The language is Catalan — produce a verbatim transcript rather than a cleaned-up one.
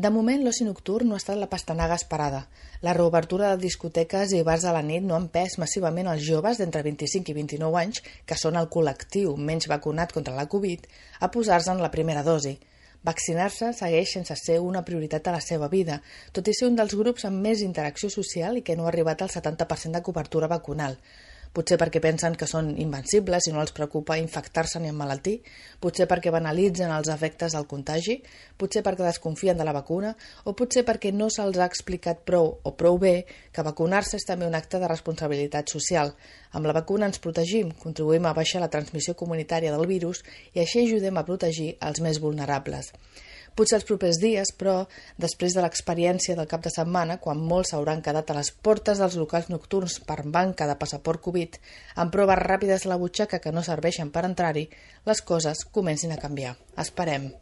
De moment, l'oci nocturn no ha estat la pastanaga esperada. La reobertura de discoteques i bars a la nit no han empès massivament els joves d'entre vint-i-cinc i vint-i-nou anys, que són el col·lectiu menys vacunat contra la Covid, a posar-se'n la primera dosi. Vaccinar-se segueix sense ser una prioritat a la seva vida, tot i ser un dels grups amb més interacció social i que no ha arribat al setanta per cent de cobertura vacunal. Potser perquè pensen que són invencibles i no els preocupa infectar-se ni emmalaltir, potser perquè banalitzen els efectes del contagi, potser perquè desconfien de la vacuna o potser perquè no se'ls ha explicat prou o prou bé que vacunar-se és també un acte de responsabilitat social. Amb la vacuna ens protegim, contribuïm a baixar la transmissió comunitària del virus i així ajudem a protegir els més vulnerables. Potser els propers dies, però, després de l'experiència del cap de setmana, quan molts s'hauran quedat a les portes dels locals nocturns per manca de passaport Covid, amb proves ràpides a la butxaca que no serveixen per entrar-hi, les coses comencin a canviar. Esperem.